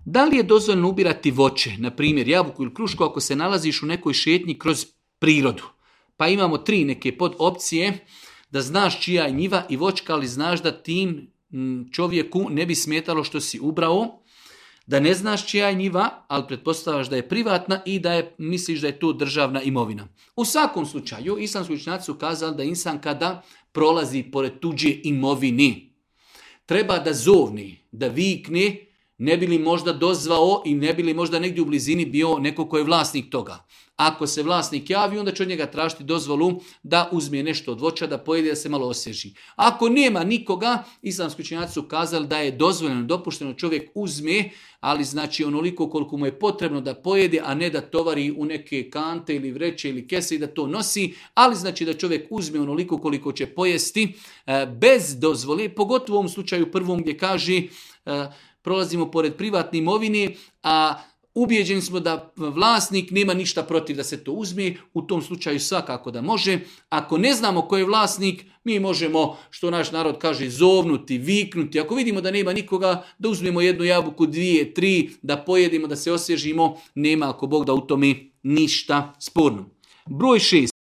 Da li je dozvoljeno ubirati voće, na primjer jabuku ili krušku, ako se nalaziš u nekoj šetnji kroz prirodu? Pa imamo 3 neke podopcije, da znaš čija je njiva i voćka, ali znaš da tim čovjeku ne bi smetalo što si ubrao, da ne znaš čija je njiva, ali pretpostavljaš da je privatna i da misliš da je to državna imovina. U svakom slučaju, islamski učenjaci su kazali da insan kada prolazi pored tuđe imovine, treba da zovni, da vikne, ne bi li možda dozvao i ne bi li možda negdje u blizini bio neko ko je vlasnik toga. Ako se vlasnik javi, onda će od njega tražiti dozvolu da uzme nešto od voća, da pojede, da se malo osvježi. Ako nema nikoga, islamski učenjaci su kazali da je dozvoljeno, dopušteno čovjek uzme, ali znači onoliko koliko mu je potrebno da pojede, a ne da tovari u neke kante ili vreće ili kese i da to nosi, ali znači da čovjek uzme onoliko koliko će pojesti bez dozvole, pogotovo u ovom slučaju prvom gdje kaže prolazimo pored privatne imovine, a ubijeđeni smo da vlasnik nema ništa protiv da se to uzme, u tom slučaju svakako da može. Ako ne znamo ko je vlasnik, mi možemo, što naš narod kaže, zovnuti, viknuti. Ako vidimo da nema nikoga, da uzmemo 1 jabuku, 2, 3, da pojedimo, da se osvježimo, nema ako Bog da u tome ništa sporno. Broj 6.